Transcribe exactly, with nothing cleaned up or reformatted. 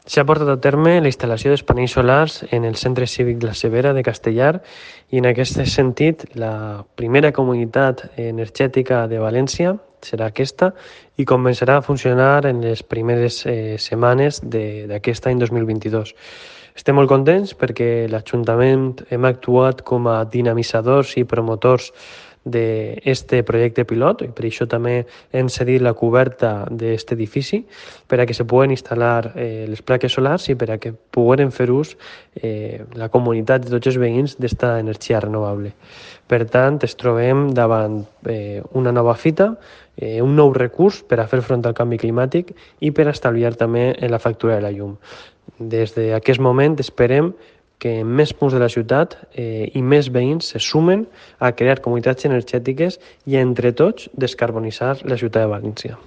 S'ha portat a terme la instal·lació dels panells solars en el Centre Cívic La Severa de Castellar i en aquest sentit la primera comunitat energètica de València serà aquesta i començarà a funcionar en les primeres eh, setmanes d'aquest any dos mil vint-i-dos. Estem molt contents perquè l'Ajuntament hem actuat com a dinamitzadors i promotors d'aquest projecte pilot i per això també hem cedit la coberta d'aquest edifici per a que se puguen instal·lar eh, les plaques solars i per a que puguem fer ús eh, la comunitat de tots els veïns d'esta energia renovable. Per tant, ens trobem davant eh, una nova fita, eh, un nou recurs per a fer front al canvi climàtic i per a estalviar també en la factura de la llum. Des d'aquest moment esperem que més punts de la ciutat eh, i més veïns se sumen a crear comunitats energètiques i entre tots descarbonitzar la ciutat de València.